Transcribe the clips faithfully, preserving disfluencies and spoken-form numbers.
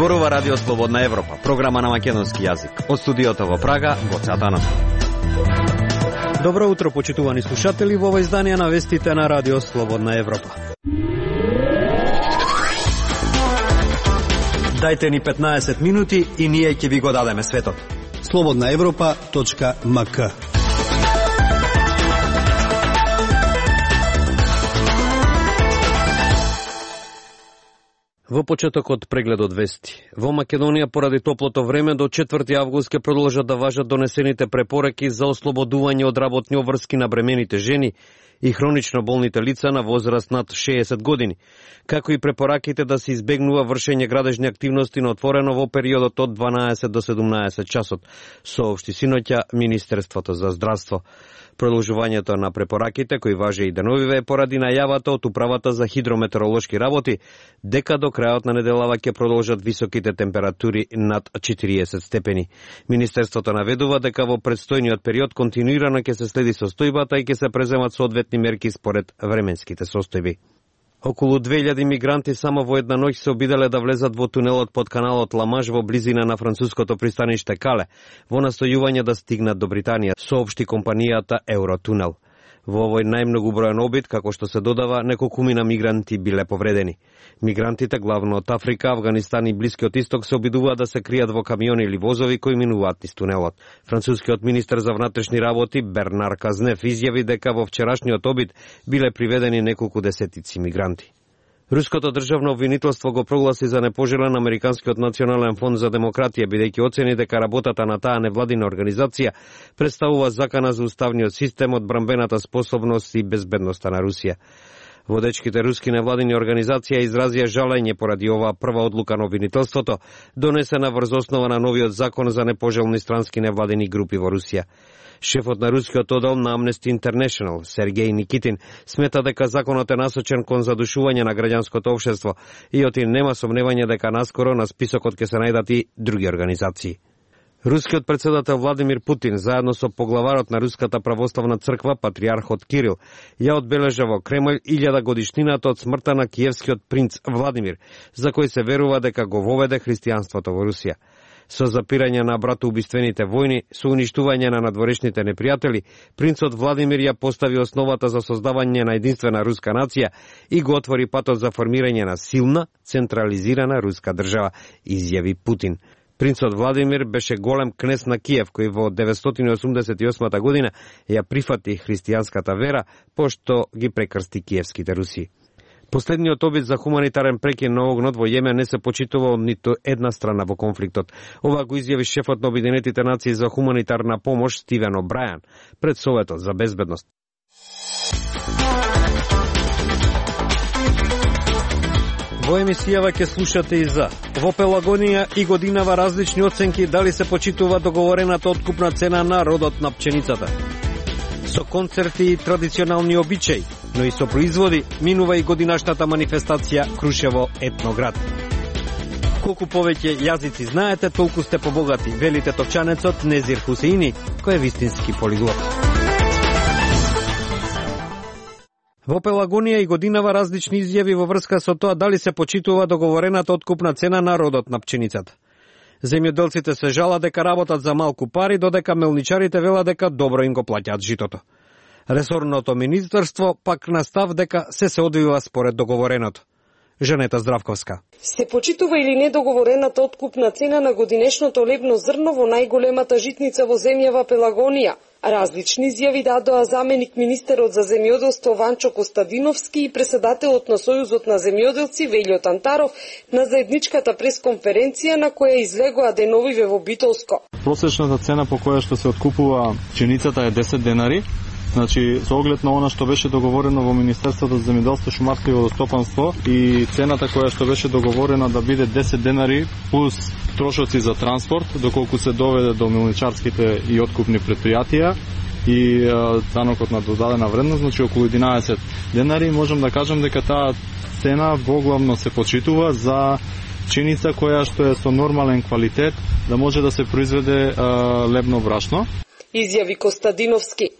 Зборува Радио Слободна Европа, програма на македонски јазик. Од студиото во Прага, Гоце Атанасов. Добро утро, почитувани слушатели, во ова издание на вестите на Радио Слободна Европа. Дајте ни петнаесет минути и ние ќе ви го дадеме светот. слободна европа точка ем ка. Во почетокот прегледот вести. Во Македонија поради топлото време до четврти август ќе продолжат да важат донесените препораки за ослободување од работни обврски на бремените жени и хронично болните лица на возраст над шеесет години, како и препораките да се избегнува вршење градежни активности на отворено во периодот од дванаесет до седумнаесет часот, соопшти синоќа Министерството за здравство. Продолжувањето на препораките, кои важи и деновиве, е поради најавата од Управата за хидрометеоролошки работи, дека до крајот на неделава ќе продолжат високите температури над четириесет степени. Министерството наведува дека во предстојниот период континуирано ќе се следи состојбата и ќе се преземат соодветни мерки според временските состојби. Околу две илјади мигранти само во една ноќ се обиделе да влезат во тунелот под каналот Ла-Маж во близина на француското пристаниште Кале, во настојување да стигнат до Британија, соопшти компанијата Евротунел. Во овој најмногу бројан обид, како што се додава, неколкумина мигранти биле повредени. Мигрантите, главно од Африка, Авганистан и Блискиот Исток, се обидуваат да се кријат во камиони или возови кои минуваат низ тунелот. Францускиот министер за внатрешни работи Бернар Казнев изјави дека во вчерашниот обид биле приведени неколку десетици мигранти. Руското државно обвинителство го прогласи за непожелен Американскиот национален фонд за демократија, бидејќи оцени дека работата на таа невладина организација представува закана за уставниот систем, одбрамбената способност и безбедноста на Русија. Водечките руски невладини организација изразија жалење поради оваа прва одлука на обвинителството, донесена врз основа на новиот закон за непожелни странски невладини групи во Русија. Шефот на рускиот оддел на Amnesty International, Сергеј Никитин, смета дека законот е насочен кон задушување на граѓанското општество и оти нема сомневање дека наскоро на списокот ќе се најдат и други организации. Рускиот председател Владимир Путин, заедно со поглаварот на Руската православна црква, патриархот Кирил, ја одбележа во Кремљ илјада годишнината од смртта на киевскиот принц Владимир, за кој се верува дека го воведе христијанството во Русија. Со запирање на братоубиствените војни, со уништување на надворешните непријатели, принцот Владимир ја постави основата за создавање на единствена руска нација и го отвори патот за формирање на силна, централизирана руска држава, изјави Путин. Принцот Владимир беше голем кнез на Киев, кој во деветстотини осумдесет и осма година ја прифати христијанската вера, пошто ги прекрсти киевските руси. Последниот обид за хуманитарен прекин на огнот во Јемен не се почитува од ниту една страна во конфликтот. Ова го изјави шефот на Обединетите нации за хуманитарна помош Стивен О'Брајан пред Советот за безбедност. Во емисијава ќе слушате и за во Пелагонија и годинава различни оценки дали се почитува договорената откупна цена на родот на пченицата. Со концерти и традиционални обичаи, но и со производи, минува и годинашната манифестација Крушево етноград. Колку повеќе јазици знаете, толку сте побогати, вели тетовчанецот Незир Хусеини, кој е вистински полиглот. Во Пелагонија и годинава различни изјави во врска со тоа дали се почитува договорената откупна цена на родот на пченицата. Земјоделците се жала дека работат за малку пари, додека мелничарите велат дека добро им го плаќаат житото. Ресорното министерство пак настав дека се се одвива според договореното. Жанета Здравковска. Се почитува или не договорената откупна цена на годинешното лебно зрно во најголемата житница во земјава Пелагонија? Различни изјави дадоа заменик министерот за земјоделство Ванчо Костадиновски и председателот на Сојузот на земјоделци Велјо Тантаров на заедничката пресконференција на која излегоа деновиве во Битолско. Просечната цена по која што се откупува пченицата е десет денари. Значи, со оглед на она што беше договорено во Министерството за земјоделство, шумарство и водостопанство и цената која што беше договорена да биде десет денари плюс трошоци за транспорт, доколку се доведе до мелничарските и откупни предпријатија и данокот на додадена вредност, значи околу единаесет денари, можам да кажам дека таа цена воглавно се почитува за пченица која што е со нормален квалитет да може да се произведе а, лебно брашно. Изјави Костадиновски.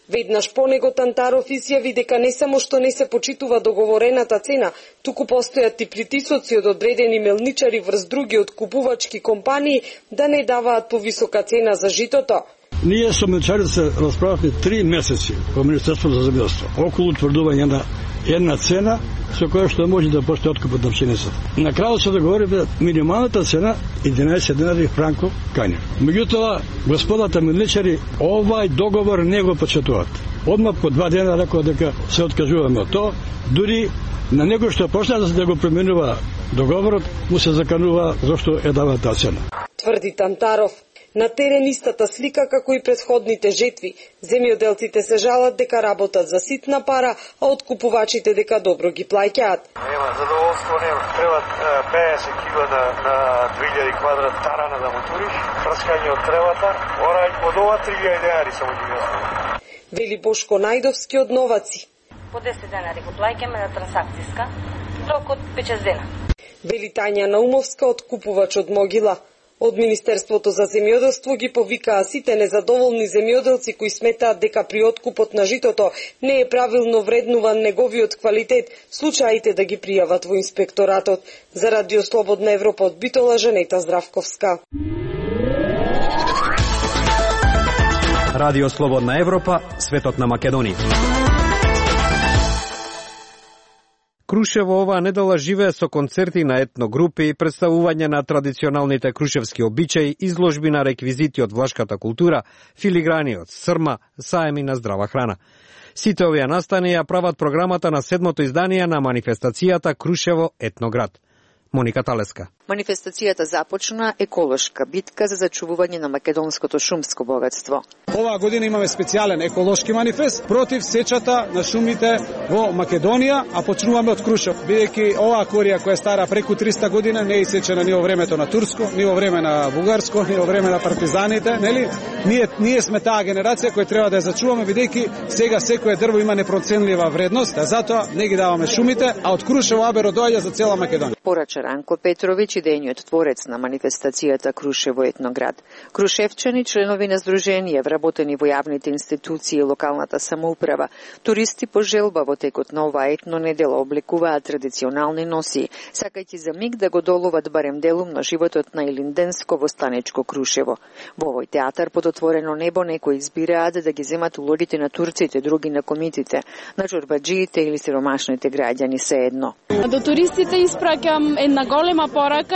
Веднаш по него Тантаров изјави дека не само што не се почитува договорената цена, туку постојат и притисоци од одредени мелничари врз други откупувачки компании да не даваат повисока цена за житото. Ние со мелничарите се расправавме три месеци во Министерството за земјоделство околу утврдување на една цена со која што може да постои откупот на пшеницата. На крајот се договоривме минималната цена единаесет денари франко кања. Меѓутоа, господата мелничари овај договор не го почетуваат. Одма по два дена рекоа дека се откажуваме од тоа, дури на него што почна да го променува договорот, му се заканува зашто е дава таа цена. Тврди Тантаров. На терен истата слика како и претходните жетви. Земјоделците се жалат дека работат за ситна пара, а откупувачите дека добро ги плаќаат. Нема задоволство, нема. Требат педесет кило на, на две илјади квадрат тарана да му туриш, прскање од тревата, орај од ова три илјади денари само ги остави. Вели Бошко Најдовски од Новаци. По десет денари го плаќаме на трансакцијска, рок од пет-шест дена. Вели Тања Наумовска, откупувач од Могила. Од Министерството за земјоделство ги повикаа сите незадоволни земјоделци кои сметаат дека при откупот на житото не е правилно вреднуван неговиот квалитет, случаите да ги пријават во инспекторатот. За Радио Слободна Европа од Битола, Жанета Здравковска. Радио Слободна Европа, светот на Македонија. Крушево оваа недела живее со концерти на етногрупи, представување на традиционалните крушевски обичаи, изложби на реквизити од влашката култура, филиграни од срма, саеми на здрава храна. Сите овие настани ја прават програмата на седмото издание на манифестацијата Крушево етноград. Моника Талеска. Манифестацијата започна еколошка битка за зачувување на македонското шумско богатство. Оваа година имаме специјален еколошки манифест против сечата на шумите во Македонија, а почнуваме од Крушево. Бидејќи оваа корија која е стара преку триста година не е исечена ни во времето на турско, ни во време на бугарско, ни во време на партизаните, нели? Ние ние сме таа генерација која треба да ја зачуваме, бидејќи сега секое дрво има непроценлива вредност, а затоа не ги даваме шумите, а од Крушево аберо доаѓа за цела Македонија. Порача Ранко Петровиќ, идејниот творец на манифестацијата Крушево етноград. Крушевчани, членови на здруженија, вработени во јавните институции и локалната самоуправа, туристи по желба во текот на оваа етно недела облекуваат традиционални носи, сакајќи за миг да го доловат барем делум на животот на илинденско востанечко Крушево. Во овој театар под отворено небо некои избираат да ги земат улогите на турците, други на комитите, на чорбаџиите или сиромашните граѓани се едно. До туристите испраќам една голема порака,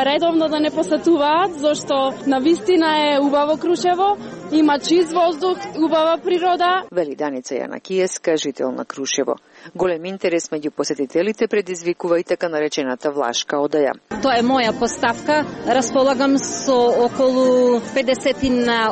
редовно да не посетуваат, зашто навистина е убаво Крушево, има чист воздух, убава природа. Вели Даница Јанакиевска, жител на Крушево. Голем интерес меѓу посетителите предизвикува и така наречената влашка одаја. Тоа е моја поставка. Располагам со околу педесет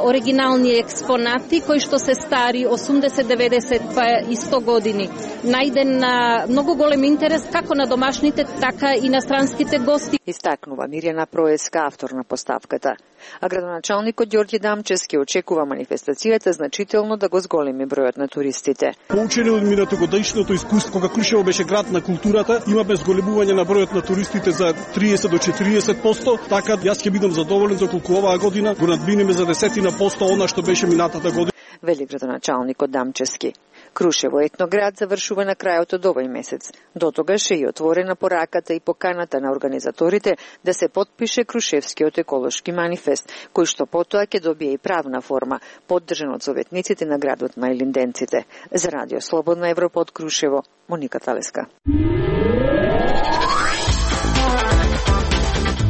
оригинални експонати кои што се стари осумдесет, деветдесет па и сто години. Најден на многу голем интерес како на домашните, така и на странските гости. Истакнува Мирјана Проеска, автор на поставката. А градоначалникот Ѓорѓе Дамчевски очекува манифестацијата значително да го зголеми бројот на туристите. Поучени од минатогодишното искуство, кога Крушево беше град на културата, имаме зголемување на бројот на туристите за триесет до четириесет проценти, така јас ќе бидам задоволен за колку оваа година го надминеме за десетина посто она што беше минатата година. Вели градоначалникот Дамчевски. Крушево етноград завршува на крајот од овој месец. До тогаш е и отворена пораката и поканата на организаторите да се потпише Крушевскиот еколошки манифест, кој што потоа ќе добие и правна форма, поддржан од советниците на градот на илинденците. За Радио Слободна Европа од Крушево, Моника Талеска.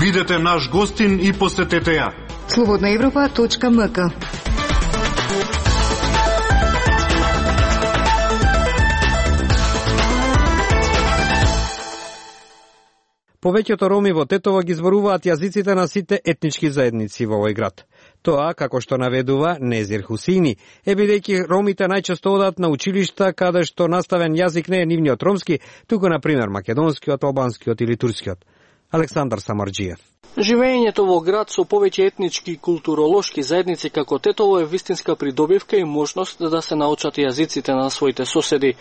Бидете наш гостин и посетете ја. слободна европа точка ем ка. Повеќето роми во Тетово ги зборуваат јазиците на сите етнички заедници во овој град. Тоа, како што наведува Незир Хусини, е бидејќи ромите најчесто одат на училишта каде што наставен јазик не е нивниот ромски, туку на пример македонскиот, албанскиот или турскиот. Александар Самарџиев. Живеењето во град со повеќе етнички и културолошки заедници како Тетово е вистинска придобивка и можност да се научат јазиците на своите соседи.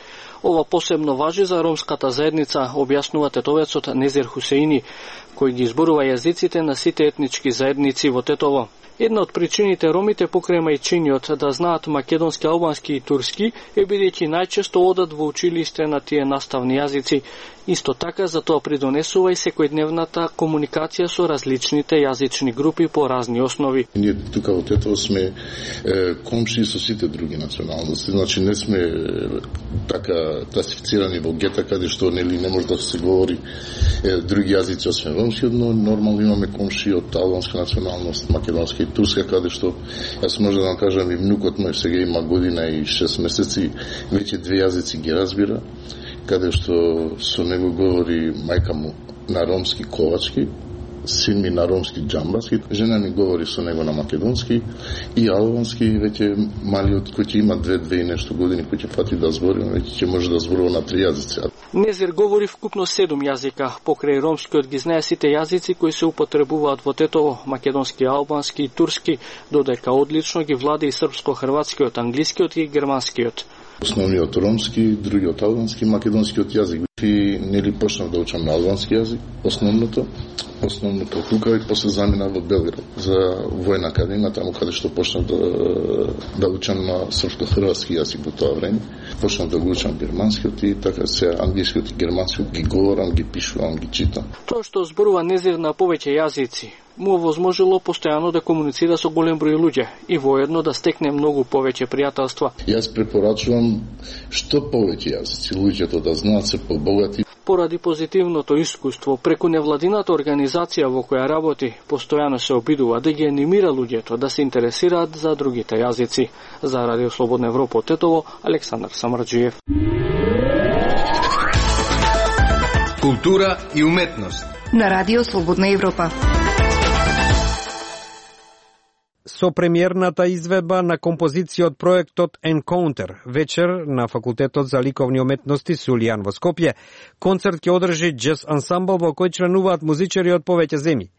Ова посебно важи за ромската заедница, објаснува тетовецот Незир Хусеини, кој ги зборува јазиците на сите етнички заедници во Тетово. Една од причините ромите покрај мајчињот да знаат македонски, албански и турски е бидејќи најчесто одат во училиште на тие наставни јазици. Исто така за тоа придонесува и секојдневната комуникација со различните јазични групи по разни основи. Ние тука во Тетово сме е, комши со сите други националности, значи не сме е, така класифицирани во гета каде што нели не може да се говори е, други јазици освен ромски, но нормално имаме комши од албанска националност, македонска и турска, каде што јас може да кажам и внукот мој сега има година и шест месеци, веќе две јазици ги разбира, каде што со него говори мајка му на ромски ковачки, син ми на ромски џамбаски, жена ми говори со него на македонски и албански, веќе малиот кој ќе има две, две и нешто години, кој ќе фати да збори, веќе ќе може да зборува на три јазици. Незир говори вкупно седум јазика, покрај ромскиот ги знае сите јазици кои се употребуваат во Тетово, македонски, албански и турски, додека одлично ги владе и српско-хрватскиот, англискиот и германскиот. Основниот ромски, другиот албански, македонскиот јазик. И нели почнав да учам на албански јазик, основното, основното тука и после заминав во Белград за војна академија, таму каде што почнав да, да учам на српско-хрватски јазик во тоа време. Почнав да го учам германскиот и така се англискиот и германскиот ги говорам, ги пишувам, ги читам. Тоа што зборува Незир на повеќе јазици му овозможило постојано да комуницира со голем број луѓе и воедно да стекне многу повеќе пријателства. Јас препорачувам што повеќе јазици луѓето да знаат се побогати. Поради позитивното искуство преку невладината организација во која работи, постојано се обидува да ги анимира луѓето да се интересираат за другите јазици. За Радио Слободна Европа од Тетово, Александар Самарџиев. Култура и уметност на Радио Слободна Европа. Со премиерната изведба на композиција од проектот Encounter вечер на Факултетот за ликовни уметности Сулијан во Скопје, концерт ќе одржи джез ансамбл во кој членуваат музичари од повеќе земји.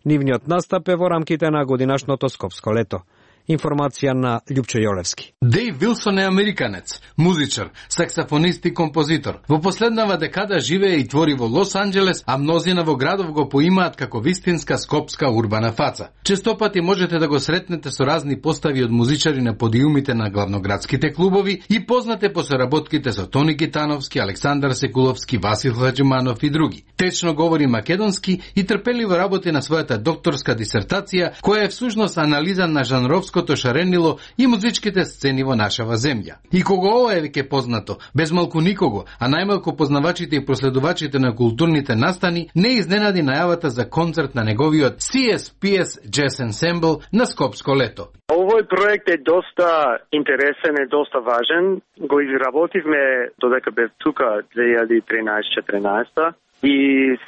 Нивниот настап е во рамките на годинашното Скопско лето. Информација на Љупчо Јолевски. Дејв Вилсон е американец, музичар, саксофонист и композитор. Во последнава декада живее и твори во Лос Анџелес, а мнозина во градов го поимаат како вистинска скопска урбана фаца. Честопати можете да го сретнете со разни постави од музичари на подиумите на главноградските клубови и познате по соработките со Тони Гитановски, Александар Секуловски, Васил Хаџиманов и други. Течно говори македонски и трпеливо работи на својата докторска дисертација, која е всушност анализа на жанровското шаренило и музичките сцени во нашава земја. И кога ова е веќе познато, без малку никого, а најмалку познавачите и проследувачите на културните настани, не изненади најавата за концерт на неговиот Си Ес Пи Ес Jazz Ensemble на Скопско лето. Овој проект е доста интересен, е доста важен. Го изработивме додека бев тука две илјади и тринаесет-четиринаесет и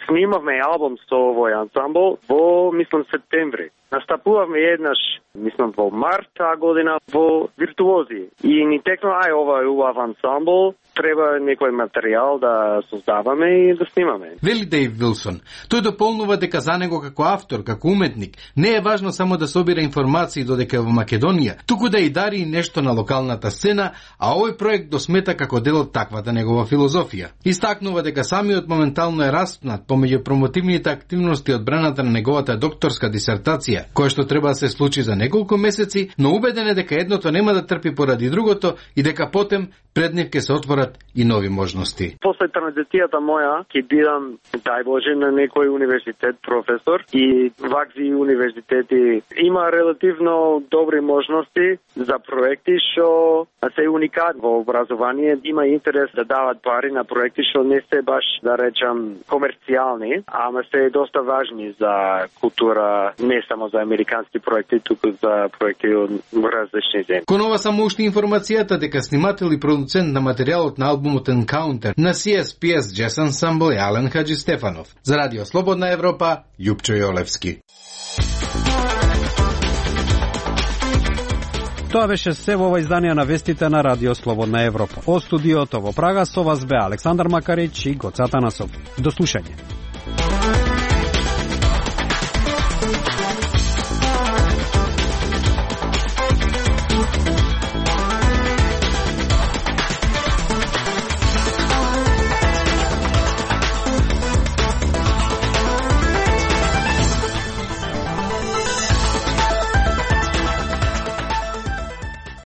снимавме албум со овој ансамбл во, мислам, септември. Настапувавме еднаш, мислам, во март таа година во Виртуози. И ни текна, ај, ова е убав ансамбл, треба некој материјал да создаваме и да снимаме. Вели Дејв Вилсон. Тој дополнува дека за него како автор, како уметник, не е важно само да собира информации додека во Македонија, туку да и дари и нешто на локалната сцена, а овој проект го смета како дел од таквата негова филозофија. Истакнува дека самиот моментално е распнат помеѓу промотивните активности од браната на неговата докторска дисертација, која што треба да се случи за неколку месеци, но убеден е дека едното нема да трпи поради другото и дека потем пред нив ќе се отворат и нови можности. После транзицијата моја ќе бидам, дај Боже, на некој универзитет професор и вакви универзитети има релативно добри можности за проекти што се уникат во образование. Има интерес да дават пари на проекти што не се баш, да речам, комерцијални, ама се доста важни за култура, не само за американски проекти, туку за проекти од различни земји. Кон ова само уште информацијата дека снимател и продуцент на материјалот на албумот Encounter на Си Ес Пи Ес Jazz Ensemble е Ален Хаджи Стефанов. За Радио Слободна Европа, Љупчо Јолевски. Тоа беше се во ова издание на вестите на Радио Слободна Европа. Од студиото во Прага со вас бе Александар Макарич и Гоца Танасов. До слушање.